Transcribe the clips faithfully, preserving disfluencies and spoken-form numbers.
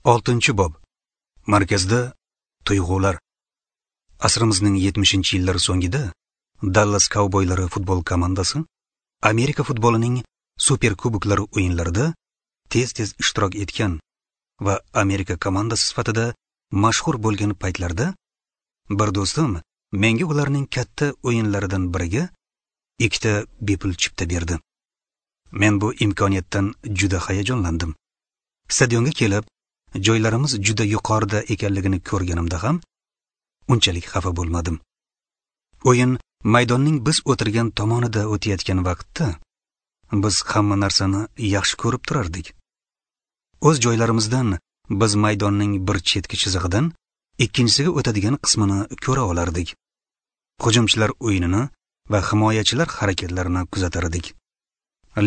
Oltinchi bob. Markazda tuyg'ular. Asrimizning yetmishinchi yillari so'ngida Dallas Cowboylari futbol komandasi Amerika futbolining super kuboklari o'yinlarida tez-tez ishtirok etgan va Amerika komandasi sifatida mashhur bo'lgan paytlarda bir do'stim menga ularning katta o'yinlaridan biriga ikkita bepul chipta berdi. Men bu imkoniyatdan juda hayajonlandim. Stadionga kelib, joylarimiz juda yuqorida ekanligini ko'rganimda ham unchalik xafa bo'lmadim. O'yin maydonning biz o'tirgan tomonida o'tayotgan vaqtda biz hamma narsani yaxshi ko'rib turardik. O'z joylarimizdan biz maydonning bir chetki chizig'idan ikkinchisiga o'tadigan qismini ko'ra olardik. Hujumchilar o'yinini va himoyachilar harakatlarini kuzatar edik.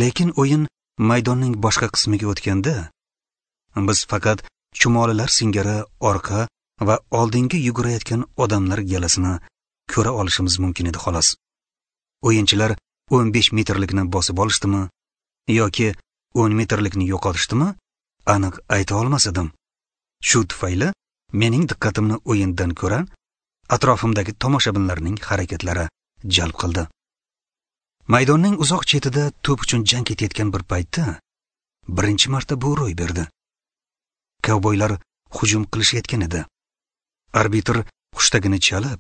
Lekin o'yin maydonning boshqa qismiga o'tganda biz faqat chumolilar singari orqa va oldinga yugurayotgan odamlar galasini ko'ra olishimiz mumkin edi xolos. O'yinchilar o'n besh metrlikni bosib olishdimi yoki o'n metrlikni yo'qotishdimi aniq ayta olmas edim. Shu tufayli mening diqqatimni o'yindan ko'ra atrofimdagi tomoshabinlarning harakatlari jalb qildi. Maydonning uzoq chetida to'p uchun jang ketayotgan bir paytda birinchi marta bu ro'y berdi. Kovboylar hujum qilishayotgan edi. Arbitr hushtagini chalib,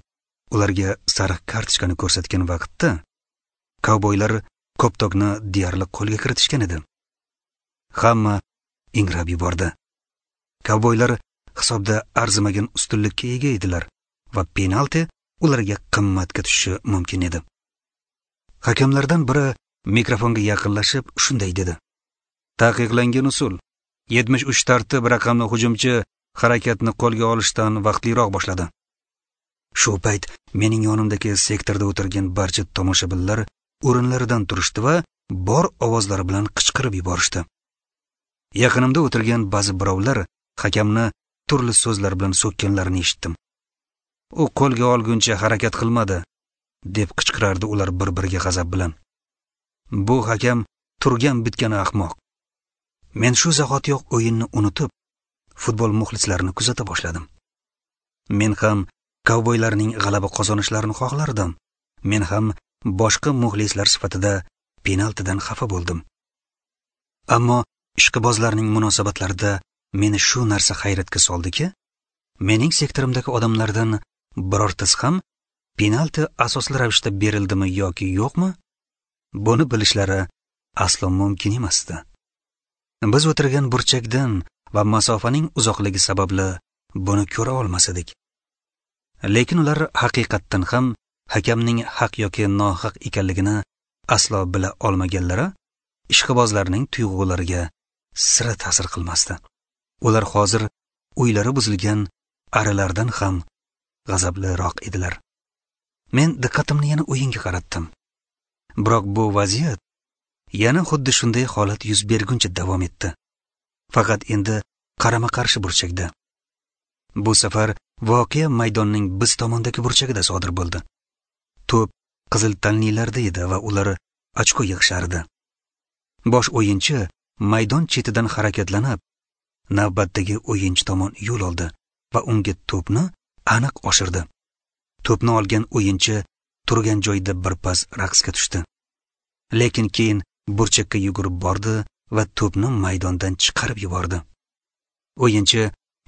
ularga sariq kartochkani ko'rsatgan vaqtda kovboylar koptokni deyarli qo'lga kiritishgan edi. Hamma ingrab yubordi. Kovboylar hisobda arzimagan ustunlikka ega edilar va penalti ularga qimmatga tushishi mumkin edi. Hakamlardan biri mikrofonga yaqinlashib shunday dedi: "Taqiqlangan usul. yetmish uch tartib raqamli hujumchi harakatni qo'lga olishdan vaqtliroq boshladi." Shu payt mening yonimdagi sektorda o'tirgan barcha tomoshabinlar o'rinlaridan turishdi va bor ovozlari bilan qichqirib yuborishdi. Yaqinimda o'tirgan ba'zi birovlar hakamni turli so'zlar bilan so'kkanlarini eshitdim. "U qo'lga olguncha harakat qilmadi", deb qichqirardi ular bir-biriga g'azab bilan. "Bu hakam turgan bitgani ahmoq." Men shu zahotiyoq o'yinni unutib, futbol muxlislarini kuzata boshladim. Men ham kovboylarning g'alaba qozonishlarini xohlardim. Men ham boshqa muxlislar sifatida penaltidan xafa bo'ldim. Ammo ishqibozlarning munosabatlarida meni shu narsa hayratga soldiki, mening sektorimdagi odamlardan birortasi ham penalti asosli ravishda berildimi yoki yo'qmi, buni bilishlari aslo mumkin emasdi. Biz o'tirgan burchakdan va masofaning uzoqligi sababli buni ko'ra olmas edik. Lekin ular haqiqatdan ham hakamning haq yoki nohaq ekanligini aslo bila olmaganlari ishqibozlarning tuyg'ulariga sira ta'sir qilmasdi. Ular hozir uylari buzilgan arilardan ham g'azabliroq edilar. Men diqqatimni yana o'yinga qaratdim. Biroq bu vaziyat yana xuddi shunday holat yuz berguncha davom etdi. Faqat endi qarama-qarshi burchakda. Bu safar voqea maydonning biz tomondagi burchagida sodir bo'ldi. To'p qizil tanlilarda edi va ular ochko yig'ishardi. Bosh o'yinchi maydon chetidan harakatlanib, navbatdagi o'yinchi tomon yo'l oldi va unga to'pni aniq oshirdi. To'pni olgan o'yinchi turgan joyida birpas raqsga tushdi. Lekin keyin burchakka yugurib bordi va to'pni maydondan chiqarib yubordi. O'yinchi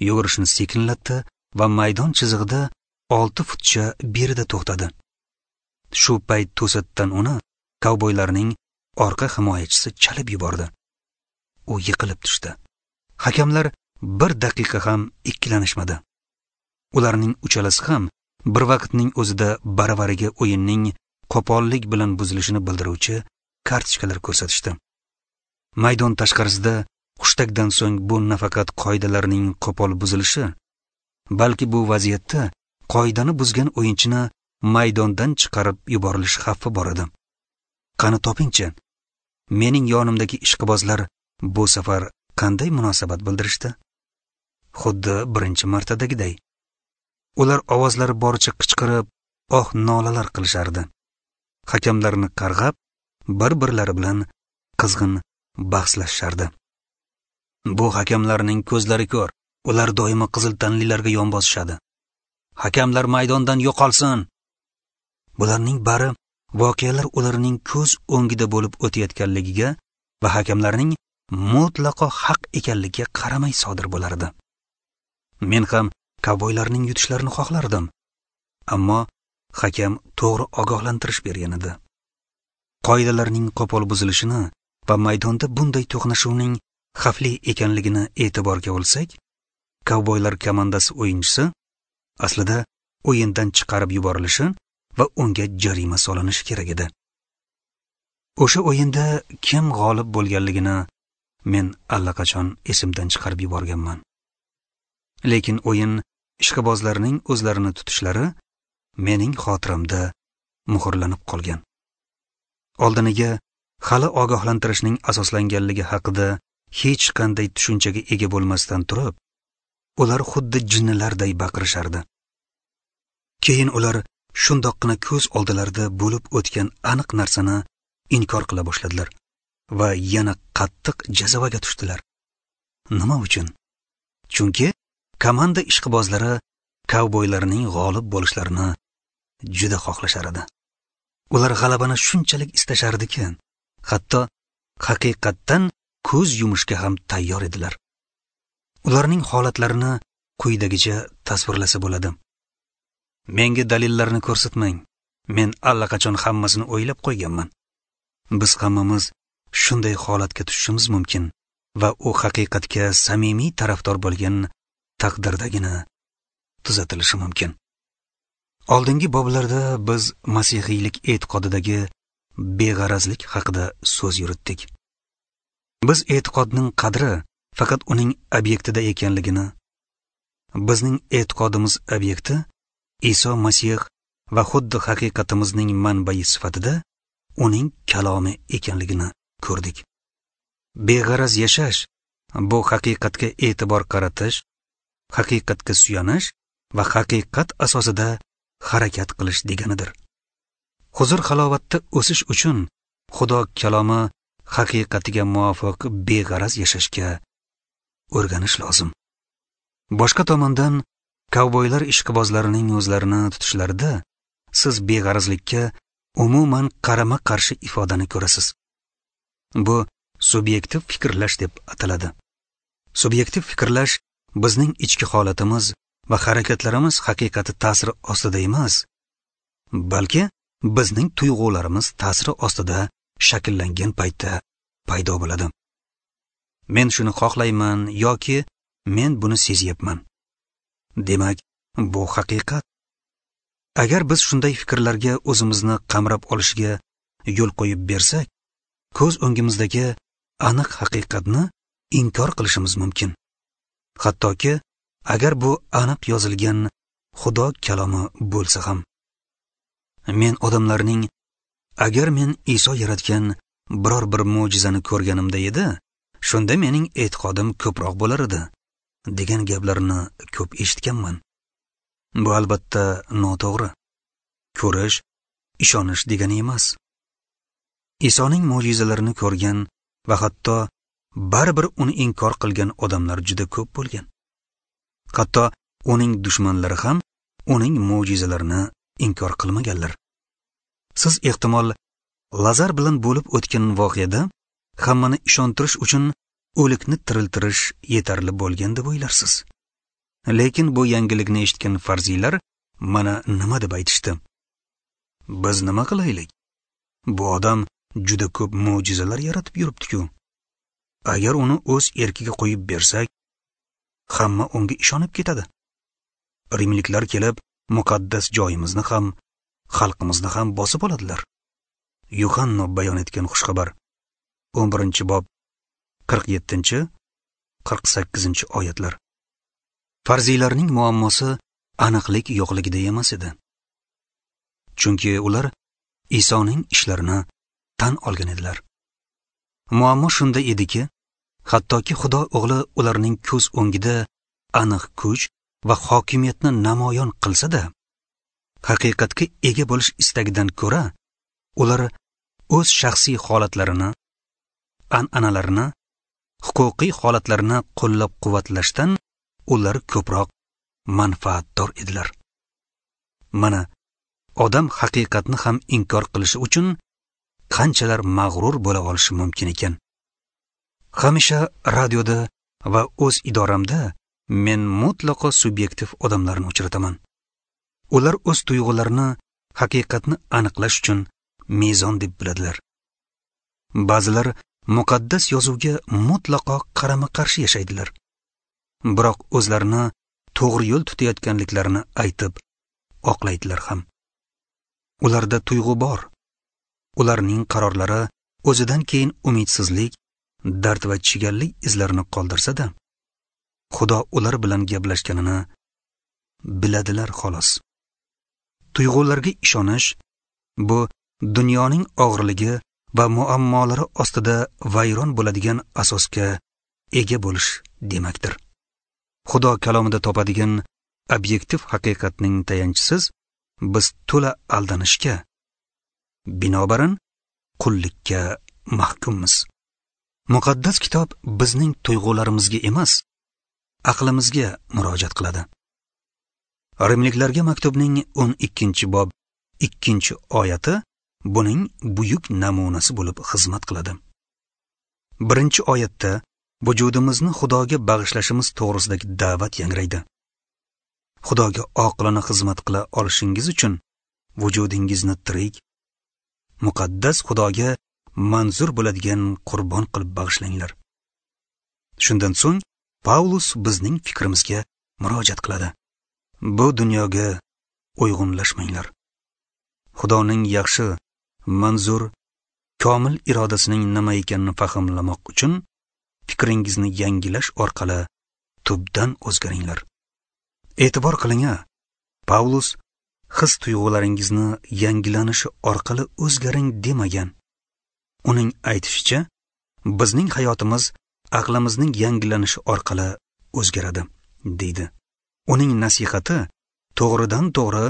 yugurishini sekinlatdi va maydon chizig'ida olti futcha berida to'xtadi. Shu payt to'satdan uni kovboylarning orqa himoyachisi chalib yubordi. U yiqilib tushdi. Hakamlar bir daqiqa ham ikkilanishmadi. Ularning uchalasi ham bir vaqtning o'zida baravariga o'yinning qo'pollik bilan buzilishini bildiruvchi kartochkalar ko'rsatishdi. Maydon tashqarisida hushtakdan so'ng bu nafaqat qoidalarning qo'pol buzilishi, balki bu vaziyatda qoidani buzgan o'yinchini maydondan chiqarib yuborilish xavfi bor edi. Qani topingchi, mening yonimdagi ishqibozlar bu safar qanday munosabat bildirishdi? Xuddi birinchi martadagiday. Ular ovozlari boricha qichqirib, oh nolalar qilishardi. Hakamlarni qarg'ab, bir-birlari bilan qizg'in bahslashishardi. Bu hakamlarning ko'zlari ko'r, Ular doimo qizil tanlilarga yon bosishadi. Hakamlar maydondan yo'qolsin. Bularning bari voqealar ularning ko'z o'ngida bo'lib o'tayotganligiga va hakamlarning mutlaqo haq ekanligiga qaramay sodir bo'lardi. Men ham kovboylarning yutishlarini xohlardim, ammo hakam to'g'ri ogohlantirish bergan edi. Qoidalarning qo'pol buzilishini va maydonda bunday to'qnashuvning xavfli ekanligini e'tiborga olsak, kovboylar komandasi o'yinchisi aslida o'yindan chiqarib yuborilishi va unga jarima solinishi kerak edi. O'sha o'yinda kim g'olib bo'lganligini men allaqachon esimdan chiqarib yuborganman. Lekin o'yin ishqibozlarining o'zlarini tutishlari mening xotiramda muhrlanib qolgan. Oldiniga hali ogohlantirishning asoslanganligi haqida hech qanday tushunchaga ega bo'lmasdan turib, ular xuddi jinnilarday baqirishardi. Keyin ular shundoqqina ko'z oldilarida bo'lib o'tgan aniq narsani inkor qila boshladilar va yana qattiq jazavaga tushdilar. Nima uchun? Chunki komanda ishqibozlari kovboylarning g'olib bo'lishlarini juda xohlashar edi. Ular g'alabani shunchalik istashardiki, hatto haqiqatdan ko'z yumishga ham tayyor edilar. Ularning holatlarini quyidagicha tasvirlasa bo'ladi. Menga dalillarni ko'rsatmang. Men allaqachon hammasini o'ylab qo'yganman. Biz hammamiz shunday holatga tushishimiz mumkin va u haqiqatga samimiy tarafdor bo'lgan taqdirdagina tuzatilishi mumkin. Oldingi boblarda biz masihiylik e'tiqodidagi beg'arazlik haqida so'z yuritdik. Biz e'tiqodning qadri faqat uning obyektida ekanligini, bizning e'tiqodimiz obyekti Iso Masih va xuddi haqiqatimizning manbai sifatida uning kalomi ekanligini ko'rdik. Beg'araz yashash bu haqiqatga e'tibor qaratish, haqiqatga suyanish va haqiqat asosida harakat qilish deganidir. Huzur halovatda o'sish uchun Xudo kalomi haqiqatiga muvofiq beg'araz yashashga o'rganish lozim. Boshqa tomondan, kovboylar ishqibozlarining o'zlarini tutishlarida siz beg'arazlikka umuman qarama-qarshi ifodani ko'rasiz. Bu subyektiv fikrlash deb ataladi. Subyektiv fikrlash bizning ichki holatimiz va harakatlarimiz haqiqati ta'siri ostida emas, balki bizning tuyg'ularimiz ta'siri ostida shakllangan paytda paydo bo'ladi. Men shuni xohlayman yoki men buni sezyapman. Demak, bu haqiqat. Agar biz shunday fikrlarga o'zimizni qamrab olishga yo'l qo'yib bersak, ko'z o'ngimizdagi aniq haqiqatni inkor qilishimiz mumkin. Hattoki agar bu aniq yozilgan Xudo kalomi bo'lsa ham. Men odamlarning agar men Iso yaratgan biror bir mo'jizani ko'rganimda edi, shunda mening e'tiqodim ko'proq bo'lar edi degan gaplarni ko'p eshitganman. Bu albatta noto'g'ri. Ko'rish ishonish degani emas. Isoning mo'jizalarini ko'rgan va hatto baribir uni inkor qilgan odamlar juda ko'p bo'lgan. Hatto uning dushmanlari ham uning mo'jizalarini inkor qilmaganlar. Siz ehtimol Lazar bilan bo'lib o'tgan voqeada hammani ishontirish uchun o'likni tiriltirish yetarli bo'lgan deb o'ylarsiz. Lekin bu yangilikni eshitgan farziylar mana nima deb aytishdi? Biz nima qilaylik? Bu odam juda ko'p mo'jizalar yaratib yuribdi-ku. Agar uni o'z erkiga qo'yib bersak, hamma unga ishonib ketadi. Rimliklar kelib muqaddas joyimizni ham, xalqimizni ham bosib oladilar. Yuhanno bayon etgan xushxabar o'n birinchi bob qirq yettinchi qirq sakkizinchi oyatlar. Farziylarning muammosi aniqlik yo'qligida emas edi. Chunki ular Isoning ishlarini tan olgan edilar. Muammo shunda ediki, hattoki Xudo o'g'li ularning ko'z o'ngida aniq kuch va hokimiyatni namoyon qilsa-da, haqiqatga ega bo'lish istagidan ko'ra, ular o'z shaxsiy holatlarini, an'analarini, huquqiy holatlarini qo'llab-quvvatlashdan ular ko'proq manfaatdor edilar. Mana odam haqiqatni ham inkor qilishi uchun qanchalar mag'rur bo'la olishi mumkin ekan. Hamisha radioda va o'z idoramda men mutlaqo subyektiv odamlarni uchrataman. Ular o'z tuyg'ularini haqiqatni aniqlash uchun mezon deb biladilar. Ba'zilar muqaddas yozuvga mutlaqo qarama-qarshi yashaydilar. Biroq o'zlarini to'g'ri yo'l tutayotganliklarini aytib oqlaydilar ham. Ularda tuyg'u bor. Ularning qarorlari o'zidan keyin umidsizlik, dard va chigallik izlarini qoldirsa-da, Xudo ular bilan gaplashganini biladilar xolos. Tuyg'ularga ishonish bu dunyoning og'irligi va muammolari ostida vayron bo'ladigan asosga ega bo'lish demakdir. Xudo kalomida topadigan obyektiv haqiqatning tayanchisiz biz to'la aldanishga, binobarin qullikka mahkummiz. Muqaddas kitob bizning tuyg'ularimizga emas, aqlimizga murojaat qiladi. Rimliklarga maktubning o'n ikkinchi bob ikkinchi oyati buning buyuk namunasi bo'lib xizmat qiladi. Birinchi oyatda vujudimizni Xudoga bag'ishlashimiz to'g'risidagi da'vat yangraydi. Xudoga oqilona xizmat qila olishingiz uchun vujudingizni tirik, muqaddas Xudoga manzur bo'ladigan qurbon qilib bag'ishlanglar. Shundan so'ng Paulus bizning fikrimizga murojaat qiladi. Bu dunyoga uyg'unlashmanglar. Xudoning yaxshi, manzur, komil irodasining nima ekanini fahmlamoq uchun fikringizni yangilash orqali tubdan o'zgaringlar. E'tibor qiling-a, Paulus his tuyg'ularingizni yangilanishi orqali o'zgaring demagan. Uning aytishicha, bizning hayotimiz aqlimizning yangilanishi orqali o'zgaradi, deydi. Uning nasihati to'g'ridan to'g'ri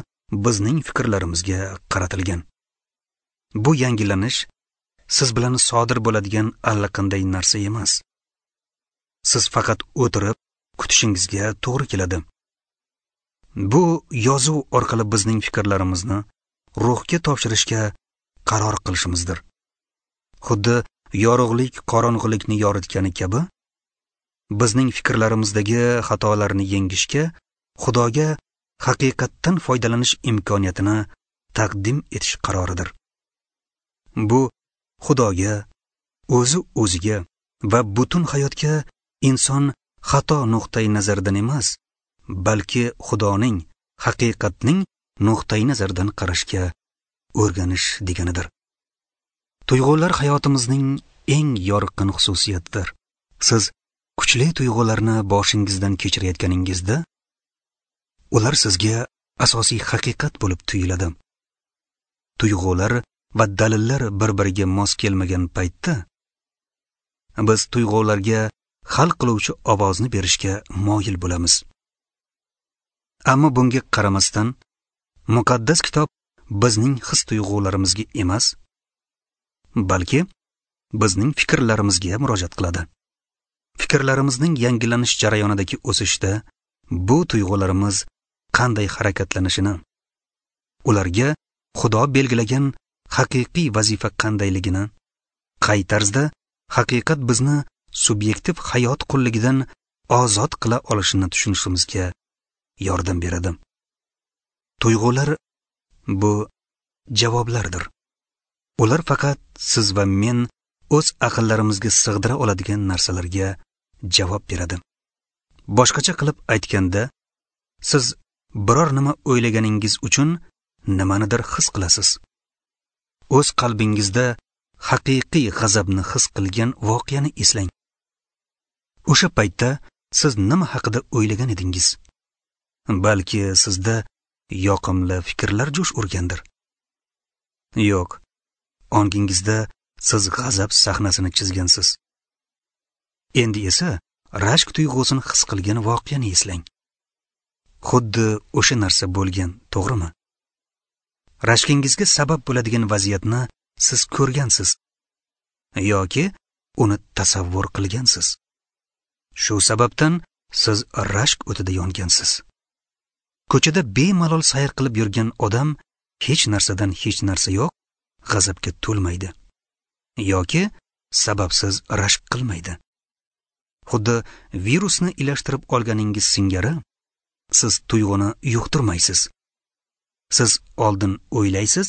bizning fikrlarimizga qaratilgan. Bu yangilanish siz bilan sodir bo'ladigan allaqanday narsa emas. Siz faqat o'tirib kutishingizga to'g'ri keladi. Bu yozuv orqali bizning fikrlarimizni ruhga topshirishga qaror qilishimizdir. Xuddi yorug'lik qorong'ulikni yoritgani kabi, bizning fikrlarimizdagi xatolarni yengishga Xudoga haqiqatdan foydalanish imkoniyatini taqdim etish qaroridir. Bu Xudoga, o'zi o'ziga va butun hayotga inson xato nuqtai nazaridan emas, balki Xudoning, haqiqatning nuqtai nazaridan qarashga o'rganish deganidir. Tuyg'ular hayotimizning eng yorqin xususiyatidir. Siz kuchli tuyg'ularni boshingizdan kechirayotganingizda, ular sizga asosiy haqiqat bo'lib tuyuladi. Tuyg'ular va dalillar bir-biriga mos kelmagan paytda biz tuyg'ularga hal qiluvchi ovozni berishga moyil bo'lamiz. Ammo bunga qaramasdan, muqaddas kitob bizning his tuyg'ularimizga emas, balki bizning fikrlarimizga murojaat qiladi. Fikrlarimizning yangilanish jarayonidagi o'sishda bu tuyg'ularimiz qanday harakatlanishini, ularga Xudo belgilagan haqiqiy vazifa qandayligini, qay tarzda haqiqat bizni subyektiv hayot qulligidan ozod qila olishini tushunishimizga yordam beradi. Tuyg'ular bu javoblardir. Ular faqat siz va men o'z aqllarimizga sig'dira oladigan narsalarga javob beradi. Boshqacha qilib aytganda, siz biror nima o'ylaganingiz uchun nimanidir his qilasiz. O'z qalbingizda haqiqiy g'azabni his qilgan voqeani eslang. O'sha paytda siz nima haqida o'ylagan edingiz? Balki sizda yoqimli fikrlar jo'sh urgandir. Yo'q, ongingizda siz g'azab sahnasini chizgansiz. Endi esa rashk tuyg'usini his qilgan voqeani eslang. Xuddi o'sha narsa bo'lgan, to'g'rimi? Rashkingizga sabab bo'ladigan vaziyatni siz ko'rgansiz yoki uni tasavvur qilgansiz. Shu sababdan siz rashk o'tida yongansiz. Ko'chada bemalol sayr qilib yurgan odam hech narsadan hech narsa yo'q g'azabga to'lmaydi yoki sababsiz rashk qilmaydi. Xuddi virusni ilashtirib olganingiz singari siz tuyg'uni yuqtirmaysiz. Siz oldin o'ylaysiz,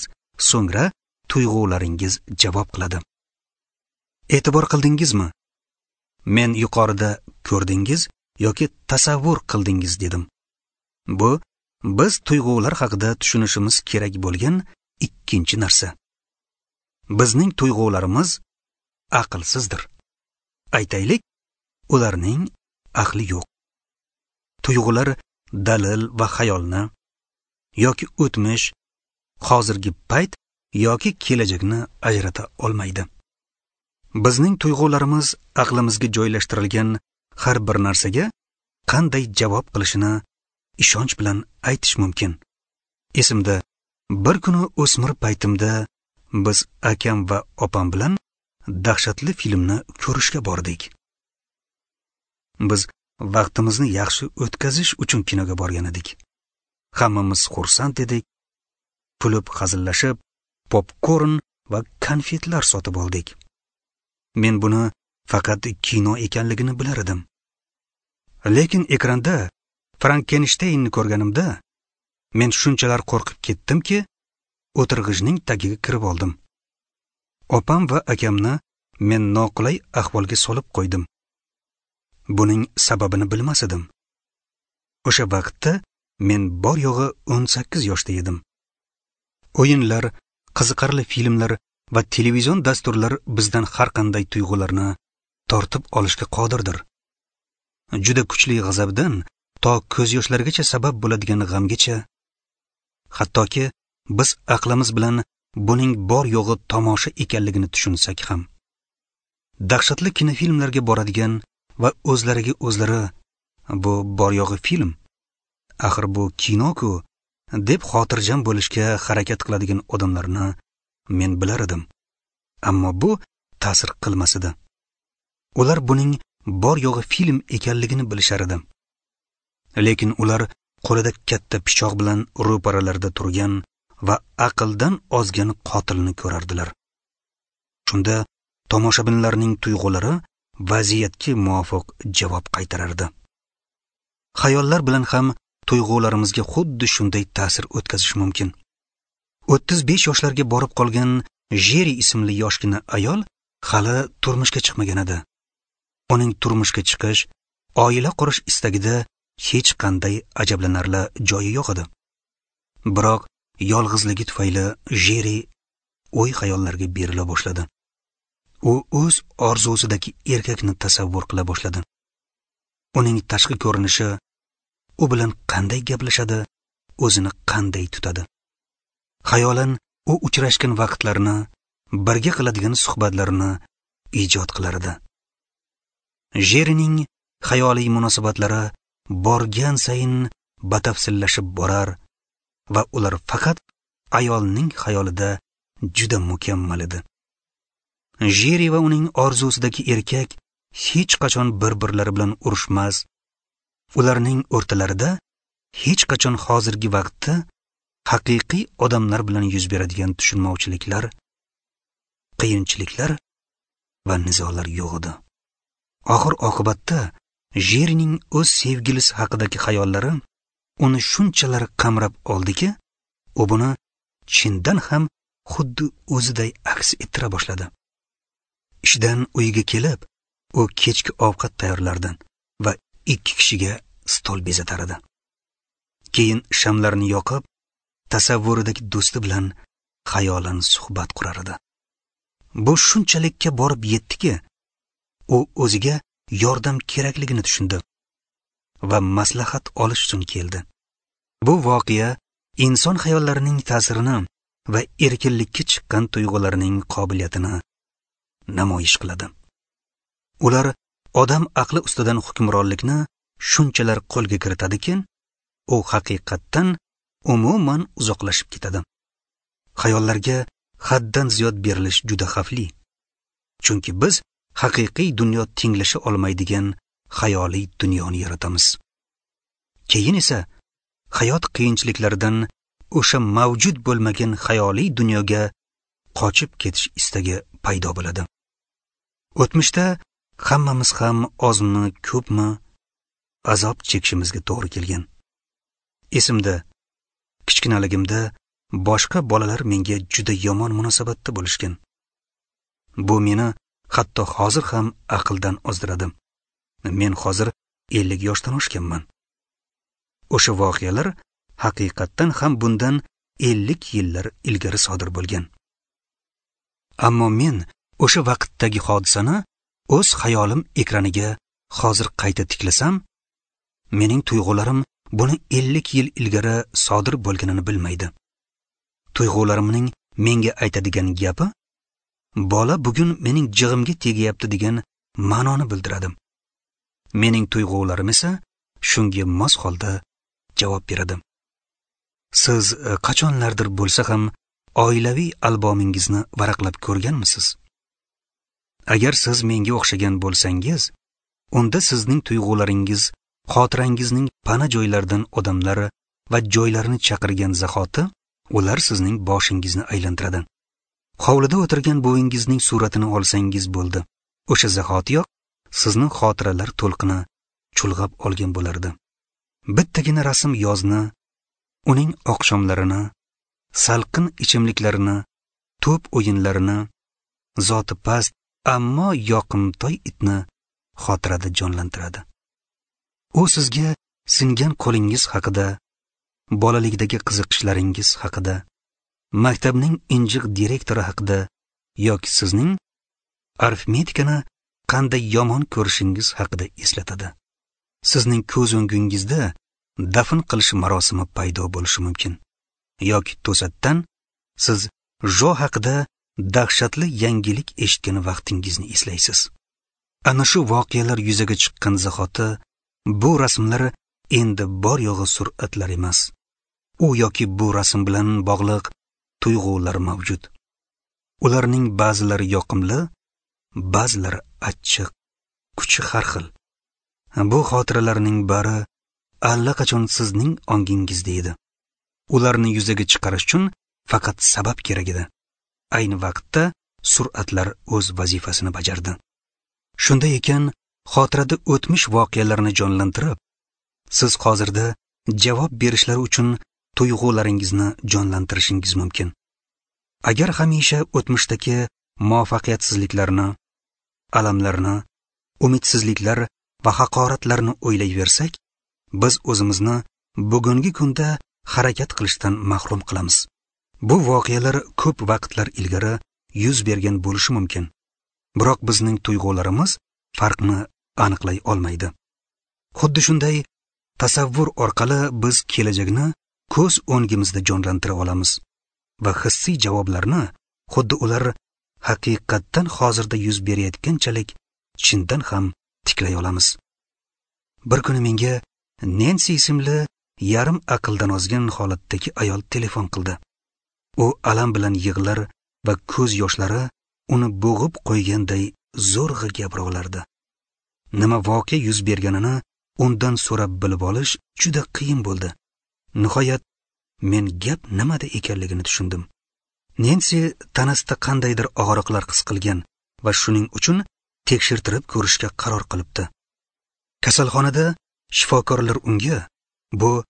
so'ngra tuyg'ularingiz javob qiladi. E'tibor qildingizmi? Men yuqorida ko'rdingiz yoki tasavvur qildingiz dedim. Bu biz tuyg'ular haqida tushunishimiz kerak bo'lgan ikkinchi narsa. Bizning tuyg'ularimiz aqlsizdir. Aytaylik, ularning aqli yo'q. Tuyg'ular dalil va xayolni yoki o'tmish, hozirgi payt yoki kelajakni ajrata olmaydi. Bizning tuyg'ularimiz aqlimizga joylashtirilgan har bir narsaga qanday javob qilishini ishonch bilan aytish mumkin. Esimda, bir kuni o'smir paytimda biz akam va opam bilan dahshatli filmni ko'rishga bordik. Biz vaqtimizni yaxshi o'tkazish uchun kinoga borgan edik. Hammamiz xursand edik. Kulib hazillashib, popkorn va konfetlar sotib oldik. Men buni faqat kino ekanligini bilar edim. Lekin ekranda Frankensteynni ko'rganimda men shunchalar qo'rqib ketdimki, o'tirg'ichning tagiga kirib oldim. Opam va akamni men noqulay ahvolga solib qo'ydim. Buning sababini bilmas edim. O'sha vaqtda men bor yo'g'i o'n sakkiz yoshda edim. O'yinlar, qiziqarli filmlar va televizion dasturlar bizdan har qanday tuyg'ularni tortib olishga qodirdir. Juda kuchli g'azabdan to ko'z yoshlargacha sabab bo'ladigan g'amgacha, hattoki biz aqlimiz bilan buning bor yo'g'i tomosha ekanligini tushunsak ham. Dahshatli kinofilmlarga boradigan va o'zlariga o'zlari bu bor yo'g'i film, axir bu kino-ku deb xotirjam bo'lishga harakat qiladigan odamlarni men bilar edim. Ammo bu ta'sir qilmas edi. Ular buning bor yo'g'i film ekanligini bilishar edi. Lekin ular qo'lida katta pichoq bilan ro'paralarida turgan va aqldan ozgan qotilni ko'rardilar. Shunda tomoshabinlarning tuyg'ulari vaziyatga muvofiq javob qaytarardi. Xayollar bilan ham tuyg'ularimizga xuddi shunday ta'sir o'tkazish mumkin. o'ttiz besh yoshlarga borib qolgan Jeri ismli yoshgina ayol hali turmushga chiqmagan edi. Uning turmushga chiqish, oila qurish istagida hech qanday ajablanarli joyi yo'q edi. Biroq yolg'izligi tufayli Jeri o'y xayollarga berila boshladi. U o'z orzusidagi erkakni tasavvur qila boshladi. Uning tashqi ko'rinishi, u bilan qanday gaplashadi, o'zini qanday tutadi. Xayolan u uchrashgan vaqtlarini, birga qiladigan suhbatlarini ijod qilar edi. Jerining xayoliy munosabatlari borgan sayin batafsillashib borar va ular faqat ayolning xayolida juda mukammal edi. Jeri va uning orzusidagi erkak hech qachon bir-birlari bilan urushmas. Ularning o'rtalarida hech qachon hozirgi vaqtda haqiqiy odamlar bilan yuz beradigan tushunmovchiliklar, qiyinchiliklar va nizolar yo'q edi. Oxir oqibatda Jerining o'z sevgilisi haqidagi xayollari uni shunchalar qamrab oldiki, u buni chindan ham xuddi o'ziday aks ettira boshladi. Ishdan uyiga kelib, u kechki ovqat tayyorlardi va ikki kishiga stol bezatar edi. Keyin shamlarni yoqib, tasavvuridagi do'sti bilan xayolan suhbat qurar edi. Bu shunchalikka borib yetdiki, u o'ziga yordam kerakligini tushundi va maslahat olish uchun keldi. Bu voqea inson xayollarining ta'sirini va erkinlikka chiqqan tuyg'ularning qobiliyatini namoyish qiladi. Ular odam aqli ustidan hukmronlikni shunchalar qo'lga kiritadiki, u haqiqatdan umuman uzoqlashib ketadi. Xayollarga haddan ziyod berilish juda xavfli. Chunki biz haqiqiy dunyo tenglasha olmaydigan xayoliy dunyoni yaratamiz. Keyin esa hayot qiyinchiliklaridan o'sha mavjud bo'lmagan xayoliy dunyoga qochib ketish istagi paydo bo'ladi. O'tmishda hammamiz ham ozmi, ko'pmi azob chekishimizga to'g'ri kelgan. Esimda, kichkinaligimda boshqa bolalar menga juda yomon munosabatda bo'lishgan. Bu meni hatto hozir ham aqldan ozdiradi. Men hozir ellik yoshdan oshganman. O'sha voqealar haqiqatdan ham bundan ellik yillar ilgari sodir bo'lgan. Ammo men o'sha vaqtdagi hodisani o'z xayolim ekraniga hozir qayta tiklasam, mening tuyg'ularim buni ellik yil ilgari sodir bo'lganini bilmaydi. Tuyg'ularimning menga aytadigan gapi, bola bugun mening jig'imga tegayapti degan ma'noni bildiradi. Mening tuyg'ularim esa shunga mos holda javob beradi. Siz qachonlardir bo'lsa ham oilaviy albomingizni varaqlab ko'rganmisiz? Agar siz menga o'xshagan bo'lsangiz, unda sizning tuyg'ularingiz xotirangizning pana joylaridan odamlar va joylarni chaqirgan zahoti ular sizning boshingizni aylantiradi. Hovlida o'tirgan buvingizning suratini olsangiz bo'ldi. O'sha zahotiyoq sizni xotiralar to'lqini chulg'ab olgan bo'lardi. Bittagina rasm yozni, uning oqshomlarini, salqin ichimliklarini, to'p o'yinlarini, zoti past ammo yoqimtoy itni xotirada jonlantiradi. U sizga singan qo'lingiz haqida, bolalikdagi qiziqishlaringiz haqida, maktabning injiq direktori haqida yoki sizning arifmetikani qanday yomon ko'rishingiz haqida eslatadi. Sizning ko'z o'ngingizda dafn qilish marosimi paydo bo'lishi mumkin yoki to'satdan siz Jo haqida dahshatli yangilik eshitgan vaqtingizni eslaysiz. Ana shu voqealar yuzaga chiqqan zahoti bu rasmlar endi bor yo'g'i suratlar emas. U yoki bu rasm bilan bog'liq tuyg'ular mavjud. Ularning ba'zilari yoqimli, ba'zilari achchiq, kuchi har xil. Bu xotiralarning bari allaqachon sizning ongingizda edi. Ularni yuzaga chiqarish uchun faqat sabab kerak edi. Ayni vaqtda suratlar o'z vazifasini bajardi. Shunday ekan, xotirada o'tmish voqealarni jonlantirib, siz hozirda javob berishlari uchun tuyg'ularingizni jonlantirishingiz mumkin. Agar hamisha o'tmishdagi muvaffaqiyatsizliklarni, alamlarni, umidsizliklar va haqoratlarni o'ylayversak, biz o'zimizni bugungi kunda harakat qilishdan mahrum qilamiz. Bu voqealar ko'p vaqtlar ilgari yuz bergan bo'lishi mumkin. Biroq bizning tuyg'ularimiz farqni aniqlay olmaydi. Xuddi shunday tasavvur orqali biz kelajakni ko'z o'ngimizda jonlantira olamiz va hissiy javoblarni xuddi ular haqiqatdan hozirda yuz berayotganchalik chindan ham tiklay olamiz. Bir kuni menga Nensi ismli yarim aqldan ozgan holatdagi ayol telefon qildi. U alam bilan yig'lar va ko'z yoshlari uni bo'g'ib qo'yganday zo'rg'a gapira olardi. Nima voqea yuz berganini undan so'rab bilib olish juda qiyin bo'ldi. Nihoyat men gap nimada ekanligini tushundim. Nensi tanasida qandaydir og'riqlar his qilgan va shuning uchun tekshirtirib ko'rishga qaror qilibdi. Kasalxonada shifokorlar unga bu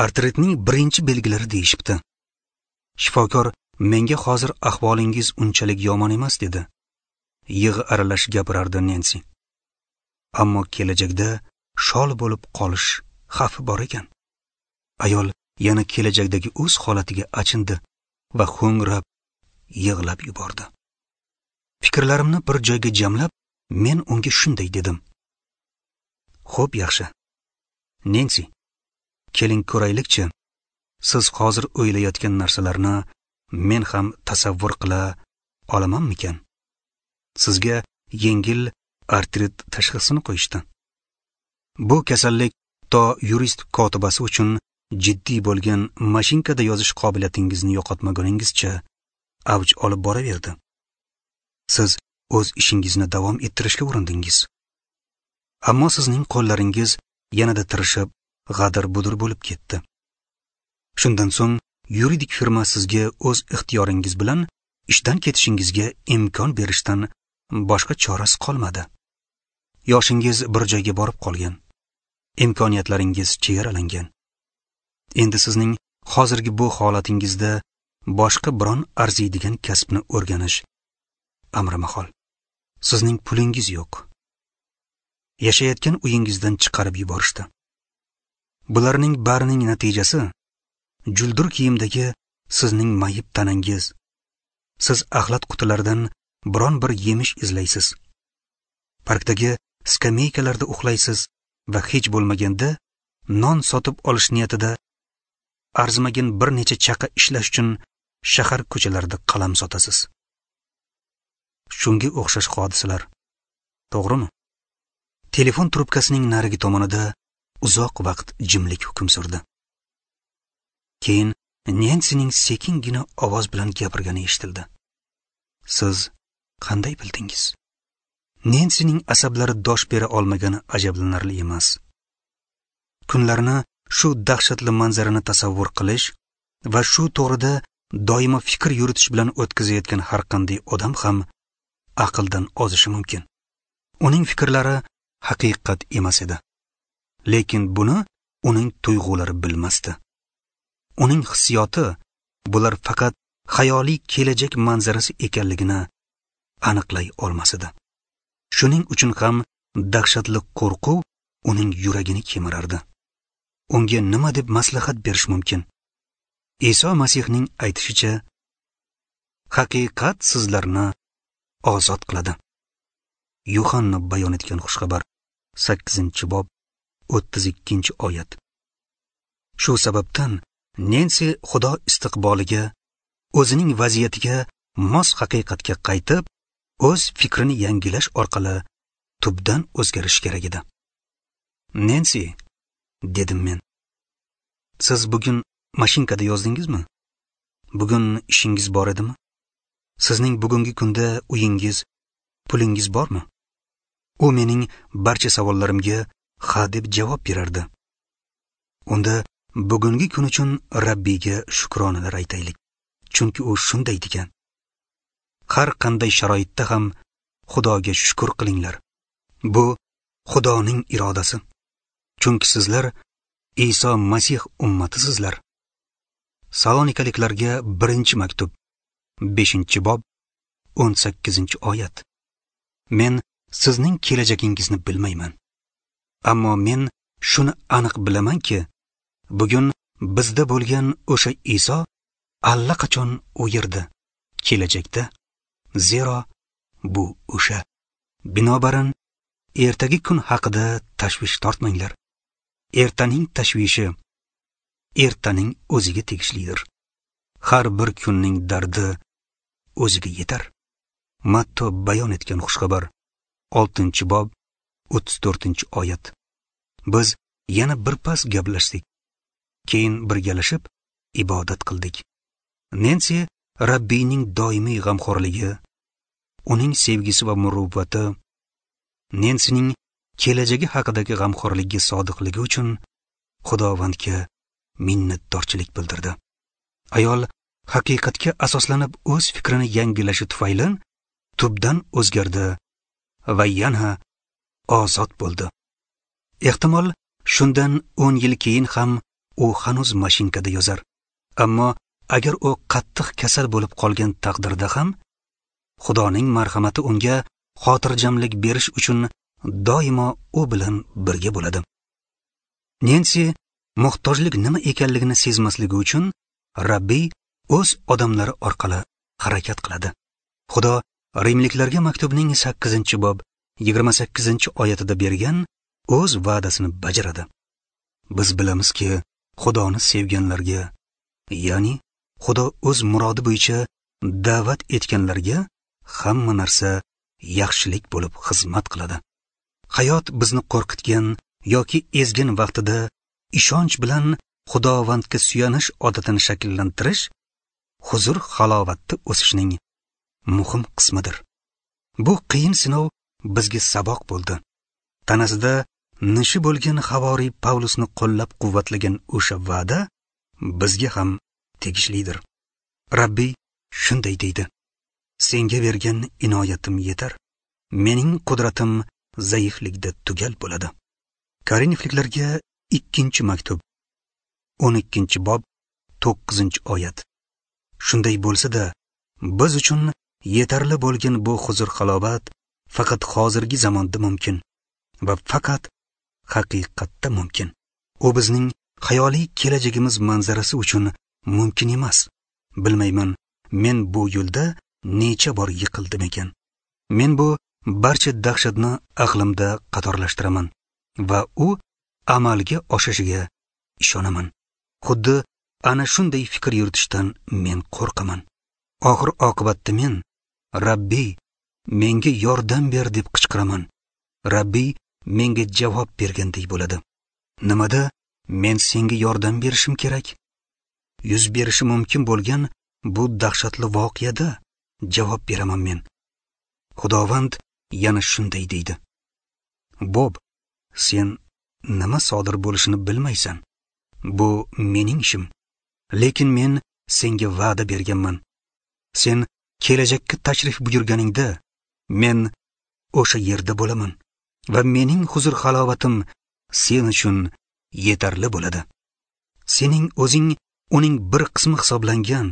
artritning birinchi belgilari deyishibdi. Shifokor menga hozir ahvolingiz unchalik yomon emas dedi. Yig'i aralash gapirardi Nensi. Ammo kelajakda shol bo'lib qolish xavfi bor ekan. Ayol yana kelajakdagi o'z holatiga achindi va ho'ngrab yig'lab yubordi. Fikrlarimni bir joyga jamlab, men unga shunday dedim: "Xo'p, yaxshi. Nensi, keling ko'raylikchi, siz hozir o'ylayotgan narsalarni men ham tasavvur qila olamanmikan? Sizga yengil artrit tashxisini qo'yishdi. Bu kasallik to yurist kotibasi uchun jiddiy bo'lgan mashinkada yozish qobiliyatingizni yo'qotmaguningizcha avj olib boraverdi. Siz o'z ishingizni davom ettirishga urindingiz. Ammo sizning qo'llaringiz yanada tirishib, g'adir-budir bo'lib ketdi. Shundan so'ng yuridik firma sizga o'z ixtiyoringiz bilan ishdan ketishingizga imkon berishdan boshqa chorasi qolmadi. Yoshingiz bir joyga borib qolgan. Imkoniyatlaringiz chegaralangan. Endi sizning hozirgi bu holatingizda boshqa biron arziydigan kasbni o'rganish amri mahol. Sizning pulingiz yo'q. Yashayotgan uyingizdan chiqarib yuborishdi. Bularning barining natijasi juldur kiyimdagi sizning mayib tanangiz. Siz axlat qutilaridan biron bir yemish izlaysiz. Parkdagi skameykalarda uxlaysiz va hech bo'lmaganda non sotib olish niyatida arzimagan bir necha chaqa ishlash uchun shahar ko'chalarida qalam sotasiz. Shunga o'xshash hodisalar, to'g'rimi? Telefon trubkasining narigi tomonida uzoq vaqt jimlik hukm surdi. Keyin Nensining sekingina ovoz bilan gapirgani eshitildi. Siz qanday bildingiz? Nensining asablari dosh bera olmagani ajablanarli emas. Kunlarni shu dahshatli manzarani tasavvur qilish va shu to'g'rida doimo fikr yuritish bilan o'tkazayotgan har qanday odam ham aqldan ozishi mumkin. Uning fikrlari haqiqat emas edi. Lekin buni uning tuyg'ulari bilmasdi. Uning hissiyoti bular faqat xayoliy kelajak manzarasi ekanligini aniqlay olmas edi. Shuning uchun ham dahshatli qo'rquv uning yuragini kemirardi. Unga nima deb maslahat berish mumkin? Iso Masihning aytishicha, haqiqat sizlarni ozod qiladi. Yuhanna bayon etgan xushxabar sakkizinchi bob o'ttiz ikkinchi oyat. Shu sababdan Nensi Xudo istiqboliga, o'zining vaziyatiga mos haqiqatga qaytib, o'z fikrini yangilash orqali tubdan o'zgarish kerak edi. Nensi, dedim men. Siz bugun mashinkada yozdingizmi? Bugun ishingiz bor edimi? Sizning bugungi kunda uyingiz, pulingiz bormi? U mening barcha savollarimga ha deb javob berardi. Unda bugungi kun uchun Rabbiyga shukronalar aytaylik, chunki u shunday degan. Har qanday sharoitda ham Xudoga shukr qilinglar. Bu Xudoning irodasi. Chunki sizlar Iso Masih ummatisizlar. Salonikaliklarga birinchi maktub, beshinchi bob, o'n sakkizinchi oyat. Men sizning kelajagingizni bilmayman. Ammo men shuni aniq bilamanki, bugun bizda bo'lgan o'sha Iso allaqachon u yerda, kelajakda. Zero bu o'sha. Binobarin, ertagi kun haqida tashvish tortmanglar. Ertaning tashvishi ertaning o'ziga tegishlidir. Har bir kunning dardi o'ziga yetar. Matto bayon etgan xushxabar, oltinchi bob, o'ttiz to'rtinchi oyat. Biz yana birpas gaplashdik. Keyin birgalashib ibodat qildik. Nensi Rabbiyning doimiy g'amxo'rligi, uning sevgisi va muruvvati, Nensining kelajagi haqidagi g'amxo'rligiga sodiqligi uchun Xudovandga minnatdorchilik bildirdi. Ayol haqiqatga asoslanib o'z fikrini yangilashi tufayli tubdan o'zgardi va yana ozod bo'ldi. Ehtimol shundan o'n yil keyin ham u hanuz mashinkada yozar. Ammo agar u qattiq kasal bo'lib qolgan taqdirda ham Xudoning marhamati unga xotirjamlik berish uchun doimo u bilan birga bo'ladi. Nensi muhtojlik nima ekanligini sezmasligi uchun Rabbiy o'z odamlari orqali harakat qiladi. Xudo Rimliklarga maktubning sakkizinchi bob yigirma sakkizinchi oyatida bergan o'z va'dasini bajaradi. Biz bilamizki, Xudoni sevganlarga, ya'ni Xudo o'z murodi bo'yicha da'vat etganlarga hamma narsa yaxshilik bo'lib xizmat qiladi. Hayot bizni qo'rqitgan yoki ezgan vaqtida ishonch bilan Xudovandga suyanish odatini shakllantirish huzur halovatda o'sishning muhim qismidir. Bu qiyin sinov bizga saboq bo'ldi. Tanasida nishi bo'lgan havoriy Pavlusni qo'llab-quvvatlagan o'sha va'da bizga ham tegishlidir. Rabbiy shunday deydi: senga bergan inoyatim yetar. Mening qudratim zaiflikda tugal bo'ladi. Korinfliklarga ikkinchi maktub, o'n ikkinchi bob, to'qqizinchi oyat. Shunday bo'lsa-da, biz uchun yetarli bo'lgan bu huzur-halovat faqat hozirgi zamonda mumkin va faqat haqiqatda mumkin. U bizning xayoliy kelajagimiz manzarasi uchun mumkin emas. Bilmayman, men bu yo'lda necha bor yiqildim ekan. Men bu barcha dahshatni aqlimda qatorlashtiraman va u amalga oshishiga ishonaman. Xuddi ana shunday fikr yuritishdan men qo'rqaman. Oxir oqibatda men Rabbiy, menga yordam ber deb qichqiraman. Rabbiy menga javob bergandek bo'ladi. Nimada men senga yordam berishim kerak? Yuz berishi mumkin bo'lgan bu dahshatli voqeada javob beraman men. Xudovand yana shunday deydi: Bob, sen nima sodir bo'lishini bilmaysan. Bu mening ishim. Lekin men senga va'da berganman. Sen kelajakka tashrif buyurganingda men o'sha yerda bo'laman va mening huzur-halovatim sen uchun yetarli bo'ladi. Sening o'zing uning bir qismi hisoblangan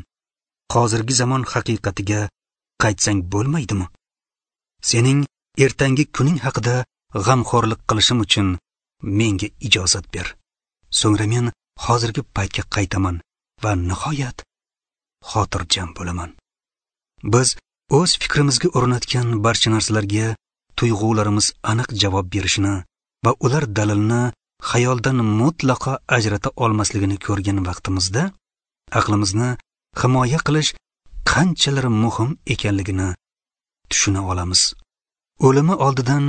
hozirgi zamon haqiqatiga qaytsang bo'lmaydimi? Sening ertangi kuning haqida g'amxo'rlik qilishim uchun menga ijozat ber. So'ngra men hozirgi paytga qaytaman va nihoyat xotirjam bo'laman. Biz o'z fikrimizga o'rnatgan barcha narsalarga tuyg'ularimiz aniq javob berishini va ular dalilni xayoldan mutlaqo ajrata olmasligini ko'rgan vaqtimizda aqlimizni himoya qilish qanchalar muhim ekanligini tushuna olamiz. O'limi oldidan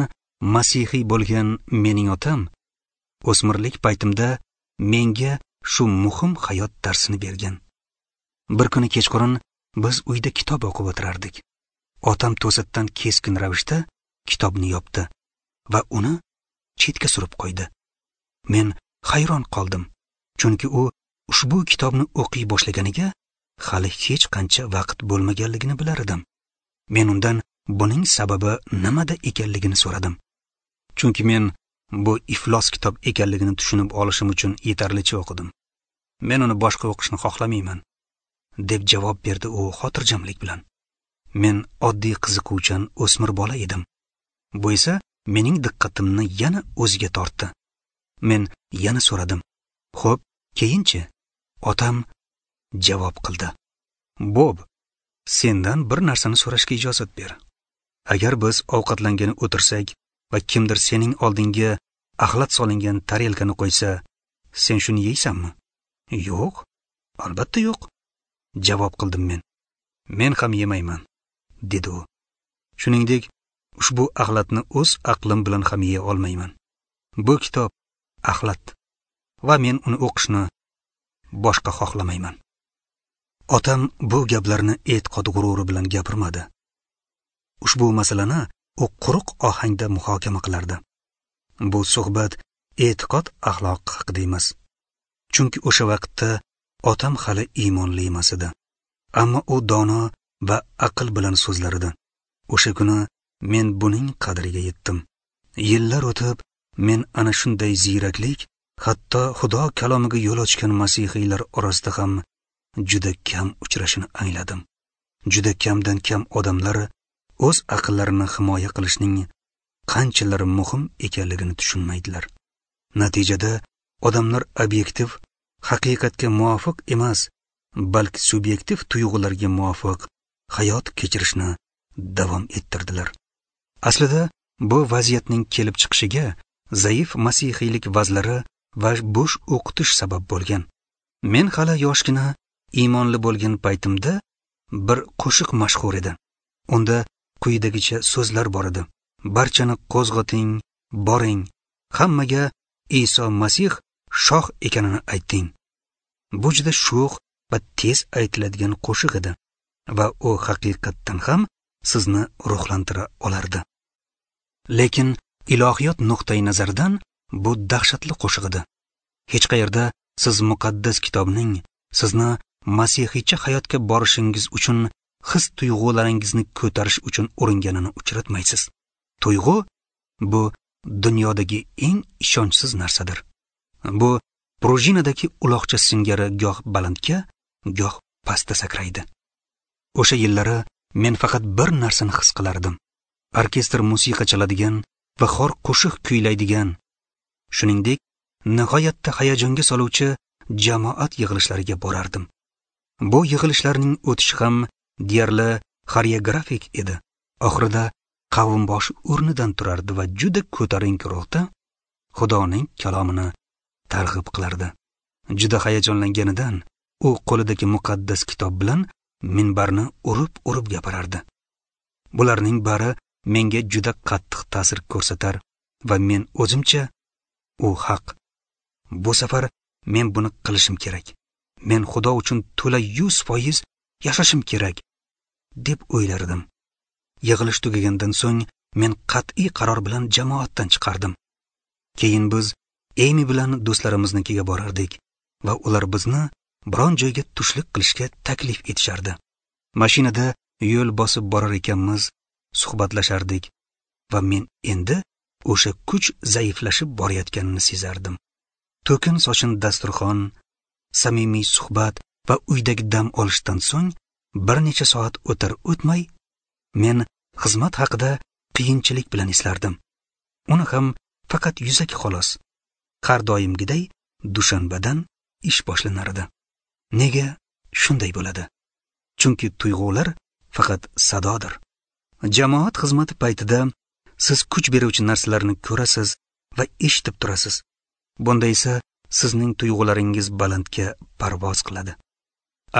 masihiy bo'lgan mening otam o'smirlik paytimda menga shu muhim hayot darsini bergan. Bir kuni kechqurun biz uyda kitob o'qib o'tirardik. Otam to'satdan keskin ravishda kitobni yopdi va uni chetga surib qo'ydi. Men hayron qoldim, chunki u ushbu kitobni o'qiy boshlaganiga hali hech qancha vaqt bo'lmaganligini bilar edim. Men undan buning sababi nimada ekanligini so'radim. Chunki men bu iflos kitob ekanligini tushunib olishim uchun yetarlicha o'qidim. Men uni boshqa o'qishni xohlamayman, deb javob berdi u xotirjamlik bilan. Men oddiy qiziquvchan o'smir bola edim. Bu esa mening diqqatimni yana o'ziga tortdi. Men yana so'radim. Xo'p, keyinchi? Otam javob qildi. Bob, sendan bir narsani so'rashga ijozat ber. Agar biz ovqatlangani o'tirsak va kimdir sening oldingga axlat solingan tarelkani qo'ysa, sen shuni yeysanmi? Yo'q, albatta yo'q, javob qildim men. Men ham yemayman, dedi u. Shuningdek, ushbu axlatni o'z aqlim bilan ham yeya olmayman. Bu kitob axlat va men uni o'qishni boshqa xohlamayman. Otam bu gaplarni e'tiqod g'ururi bilan gapirmadi. Ushbu masalani u quruq ohangda muhokama qilardi. Bu suhbat e'tiqod axloq haqida emas. Chunki o'sha vaqtda otam hali iymonli emas edi. Ammo u dono va aql bilan so'zlar edi. O'sha kuni men buning qadriga yetdim. Yillar o'tib, men ana shunday ziyraklik hatto Xudo kalomiga yo'l ochgan masihiylar orasida ham juda kam uchrashini angladim. Juda kamdan kam odamlar o'z aqllarini himoya qilishning qanchalar muhim ekanligini tushunmaydilar. Natijada odamlar obyektiv, haqiqatga muvofiq emas, balki subyektiv tuyg'ularga muvofiq hayot kechirishni davom ettirdilar. Aslida bu vaziyatning kelib chiqishiga zaif masihiylik vazlari va bo'sh o'qitish sabab bo'lgan. Men hali yoshgina iymonli bo'lgan paytimda bir qo'shiq mashhur edi. Unda quyidagicha so'zlar bor edi: barchani qo'zg'ating, boring, hammaga Iso Masih shoh ekanini ayting. Bu juda sho'x va tez aytiladigan qo'shiq edi va u haqiqatdan ham sizni ruhlantira olardi. Lekin Ilohiyot nuqtai nazaridan bu dahshatli qo'shiq edi. Hech qayerda siz muqaddas kitobning sizni masihiycha hayotga borishingiz uchun his tuyg'ularingizni ko'tarish uchun uringanini uchratmaysiz. Tuyg'u bu dunyodagi eng ishonchsiz narsadir. Bu prujinadagi uloqcha singari goh balandga, goh pastda sakraydi. O'sha yillari men faqat bir narsani his qilardim. Orkestr musiqa chaladigan va xor qo'shiq kuylaydigan, shuningdek, nihoyatda hayajonga soluvchi jamoat yig'ilishlariga borardim. Bu yig'ilishlarning o'tishi ham deyarli xoreografik edi. Oxirida qavmboshi o'rnidan turardi va juda ko'tarinki ruhda Xudoning kalomini targ'ib qilardi. Juda hayajonlanganidan u qo'lidagi muqaddas kitob bilan minbarni urib-urib gapirardi. Bularning bari menga juda qattiq ta'sir ko'rsatar va men o'zimcha u haq. Bu safar men buni qilishim kerak. Men Xudo uchun to'la yuz foiz yashashim kerak deb o'ylardim. Yig'ilish tugagandan so'ng men qat'iy qaror bilan jamoatdan chiqardim. Keyin biz Amy bilan do'stlarimiznikiga borardik va ular bizni biron joyga tushlik qilishga taklif etishardi. Mashinada yo'l bosib borar ekanmiz, suhbatlashardik va men endi o'sha kuch zaiflashib borayotganini sezardim. To'kin sochin dasturxon, samimiy suhbat va uydagi dam olishdan so'ng bir necha soat o'tar o'tmay men xizmat haqida qiyinchilik bilan eslardim. Uni ham faqat yuzaki xolos. Har doimgiday dushanbadan ish boshlanardi. Nega shunday bo'ladi? Chunki tuyg'ular faqat sadodir. Jamoat xizmati paytida siz kuch beruvchi narsalarni ko'rasiz va eshitib turasiz. Bunda esa sizning tuyg'ularingiz balandga parvoz qiladi.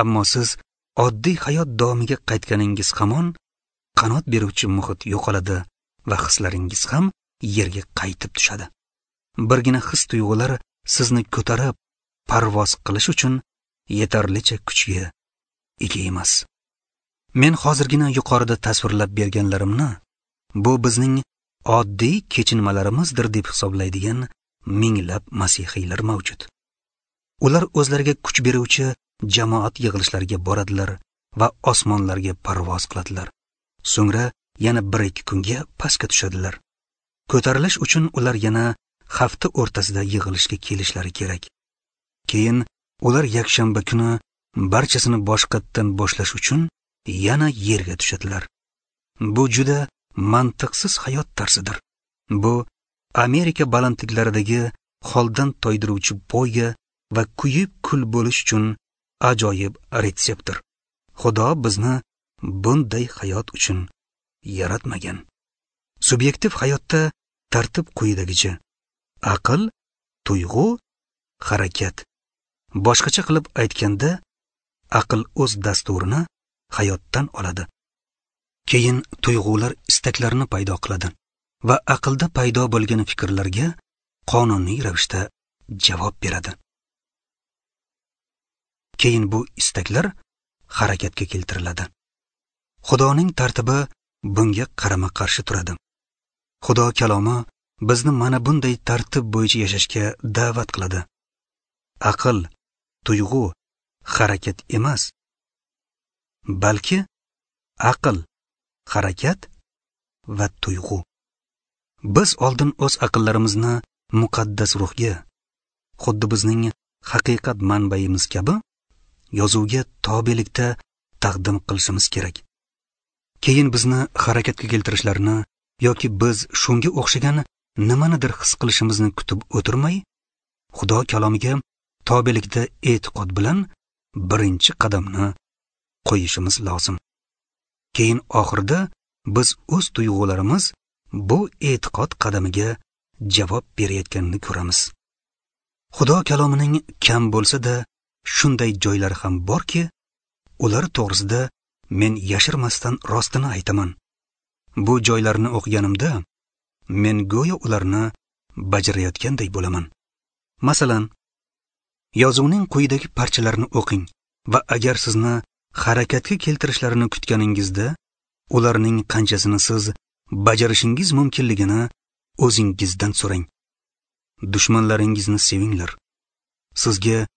Ammo siz oddiy hayot davomiga qaytganingiz hamon qanot beruvchi muhit yo'qoladi va hislaringiz ham yerga qaytib tushadi. Birgina his tuyg'ular sizni ko'tarib parvoz qilish uchun yetarlicha kuchga ega emas. Men hozirgina yuqorida tasvirlab berganlarimni bu bizning oddiy kechinmalarimizdir deb hisoblaydigan minglab masihiylar mavjud. Ular o'zlariga kuch beruvchi jamoat yig'ilishlariga boradilar va osmonlarga parvoz qiladilar. So'ngra yana bir ikki kunga pastga tushadilar. Ko'tarilish uchun ular yana hafta o'rtasida yig'ilishga kelishlari kerak. Keyin ular yakshanba kuni barchasini boshqatdan boshlash uchun yana yerga tushadilar. Bu juda mantiqsiz hayot tarzidir. Bu Amerika balandliklaridagi holdan toydiruvchi poyga va kuyib kul bo'lish uchun ajoyib retseptdir. Xudo bizni bunday hayot uchun yaratmagan. Subyektiv hayotda tartib quyidagicha: aql, tuyg'u, harakat. Boshqacha qilib aytganda, aql o'z dasturini hayotdan oladi. Keyin tuyg'ular istaklarni paydo qiladi va aqlda paydo bo'lgan fikrlarga qonuniy ravishda javob beradi. Keyin bu istaklar harakatga keltiriladi. Xudoning tartibi bunga qarama-qarshi turadi. Xudo kalomi bizni mana bunday tartib bo'yicha yashashga da'vat qiladi. Aql, tuyg'u, harakat emas, balki aql, harakat va tuyg'u. Biz oldin o'z aqllarimizni muqaddas ruhga, xuddi bizning haqiqat manbaimiz kabi yozuvga tobelikda taqdim qilishimiz kerak. Keyin bizni harakatga keltirishlarini yoki biz shunga o'xshagan nimanidir his qilishimizni kutib o'tirmay, Xudo kalomiga tobelikda e'tiqod bilan birinchi qadamni qo'yishimiz lozim. Keyin oxirida biz o'z tuyg'ularimiz bu e'tiqod qadamiga javob berayotganini ko'ramiz. Xudo kalomining kam bo'lsa-da shunday joylari ham borki, ular to'g'risida men yashirmasdan rostini aytaman. Bu joylarni o'qiganimda men go'yo ularni bajarayotganday bo'laman. Masalan, yozuvning quyidagi parchalarini o'qing va agar sizni harakatga keltirishlarini kutganingizda, ularning qanchasini siz bajarishingiz mumkinligini o'zingizdan so'rang. Dushmanlaringizni sevinglar. Sizga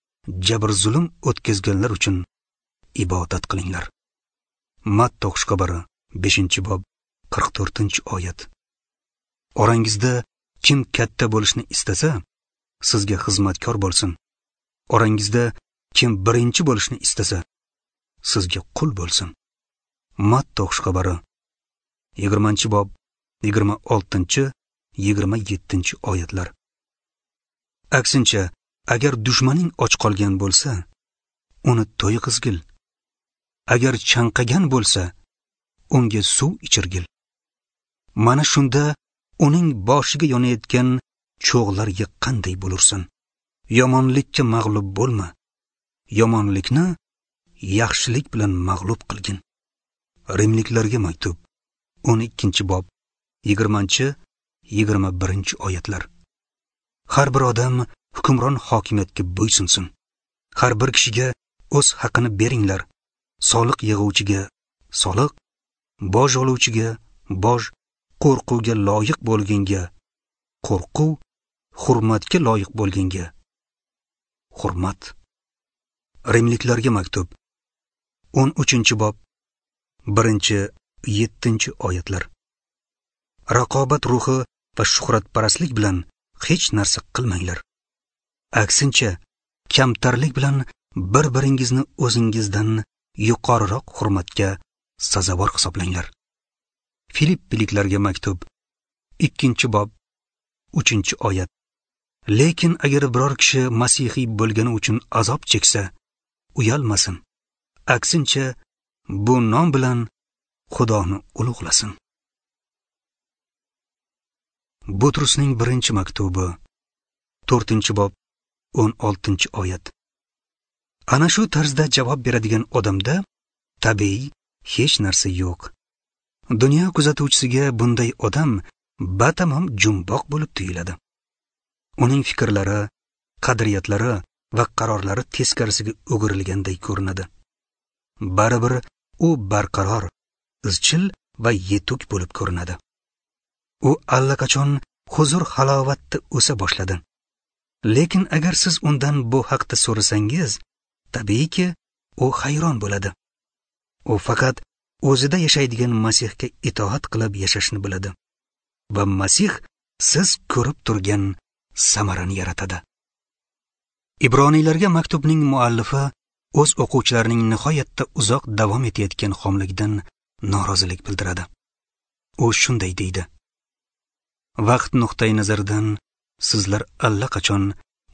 jabr-zulm o'tkazganlar uchun ibodat qilinglar. Matta xushxabari beshinchi bob qirq to'rtinchi oyat. Orangizda kim katta bo'lishni istasa, sizga xizmatkor bo'lsin. Orangizda kim birinchi bo'lishni istasa, sizga qul bo'lsin. Matta xushxabari yigirmanchi bob yigirma oltinchi yigirma yettinchi oyatlar. Aksincha, agar dushmaning och qolgan bo'lsa, uni to'yg'izgil. Agar chanqagan bo'lsa, unga suv ichirgil. Mana shunda uning boshiga yonayotgan cho'g'lar yiqqanday bo'lursan. Yomonlikka mag'lub bo'lma. Yomonlikni yaxshilik bilan mag'lub qilgin. Rimliklarga maktub o'n ikkinchi bob yigirmanchi yigirma birinchi oyatlar. Har bir odam hukmron hokimiyatga bo'ysunsin. Har bir kishiga o'z haqini beringlar. Soliq yig'uvchiga soliq, boj oluvchiga boj, qo'rquvga loyiq bo'lganga qo'rquv, hurmatga loyiq bo'lganga hurmat. Rimliklarga maktub o'n uchinchi bob birinchi yettinchi oyatlar. Raqobat ruhi va shuhratparastlik bilan hech narsa qilmanglar. Aksincha, kamtarlik bilan bir-biringizni o'zingizdan yuqoriroq hurmatga sazovor hisoblanglar. Filippiliklarga maktub ikkinchi bob uchinchi oyat. Lekin agar biror kishi masihiy bo'lgani uchun azob cheksa, uyalmasin. Aksincha, bu nom bilan Xudoni ulug'lasin. Butrusning birinchi maktubi to'rtinchi bob o'n oltinchi oyat. Ana shu tarzda javob beradigan odamda tabiiy hech narsa yo'q. Dunyo kuzatuvchisiga bunday odam batamom jumboq bo'lib tuyuladi. Uning fikrlari, qadriyatlari va qarorlari teskarisiga o'girilganday ko'rinadi. Baribir u barqaror, izchil va yetuk bo'lib ko'rinadi. U allaqachon huzur halovatda o'sa boshladi. Lekin agar siz undan bu haqda so'rasangiz, tabiiyki u hayron bo'ladi. U faqat o'zida yashaydigan Masihga itoat qilib yashashni biladi va Masih siz ko'rib turgan samarani yaratadi. Ibroniylarga maktubning muallifi o'z o'quvchilarining nihoyatda uzoq davom etayotgan xomligidan norozilik bildiradi. U shunday deydi: Vaqt nuqtai nazaridan sizlar allaqachon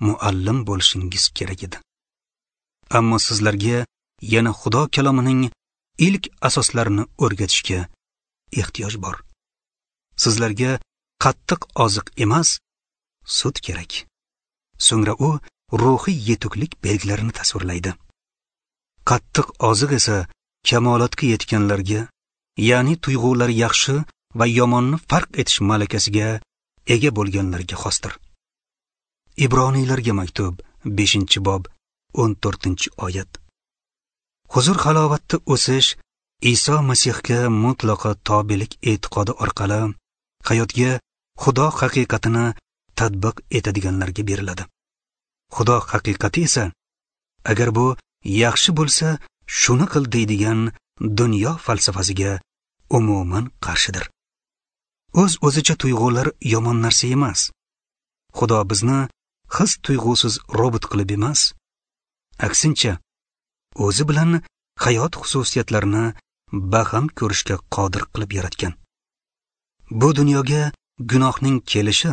muallim bo'lishingiz kerak edi. Ammo sizlarga yana Xudo kalomining ilk asoslarini o'rgatishga ehtiyoj bor. Sizlarga qattiq oziq emas, sut kerak. So'ngra u ruhiy yetuklik belgilarini tasvirlaydi. Qattiq oziq esa kamolotga yetganlarga, ya'ni tuyg'ulari yaxshi va yomonni farq etish malakasiga ega bo'lganlarga xosdir. Ibroniylarga maktub beshinchi bob o'n to'rtinchi oyat. Huzur halovatda o'sish Iso Masihga mutlaqo tobelik e'tiqodi orqali hayotga Xudo haqiqatini tatbiq etadiganlarga beriladi. Xudo haqiqati esa, agar bu yaxshi bo'lsa, shuni qil deydigan dunyo falsafasiga umuman qarshidir. O'z-o'zicha tuyg'ular yomon narsa emas. Xudo bizni his tuyg'usiz robot qilib emas, aksincha o'zi bilan hayot xususiyatlarini baham ko'rishga qodir qilib yaratgan. Bu dunyoga gunohning kelishi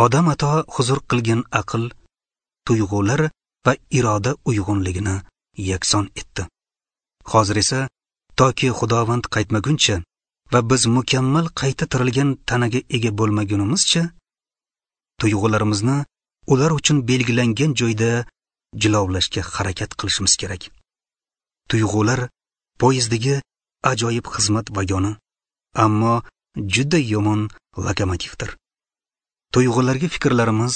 odam ato huzur qilgan aql, tuyg'ular va iroda uyg'unligini yakson etdi. Hozir esa toki Xudovand qaytmaguncha va biz mukammal qayta tirilgan tanaga ega bo'lmagunimizcha tuyg'ularimizni ular uchun belgilangan joyda jilovlashga harakat qilishimiz kerak. Tuyg'ular poyezddagi ajoyib xizmat vagoni, ammo juda yomon lokomotivdir. Tuyg'ularga fikrlarimiz,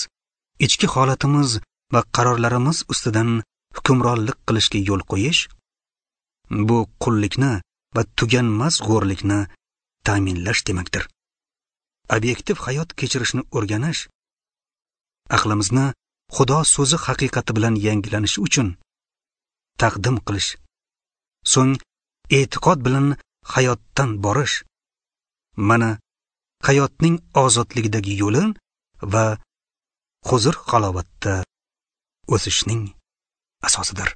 ichki holatimiz va qarorlarimiz ustidan hukmronlik qilishga yo'l qo'yish bu qullikni va tuganmas g'o'rlikni ta'minlash demakdir. Obyektiv hayot kechirishni o'rganish, aqlimizni Xudo so'zi haqiqati bilan yangilanishi uchun taqdim qilish, so'ng e'tiqod bilan hayotdan borish, mana hayotning ozodligidagi yo'li va huzur halovatda o'sishning asosidir.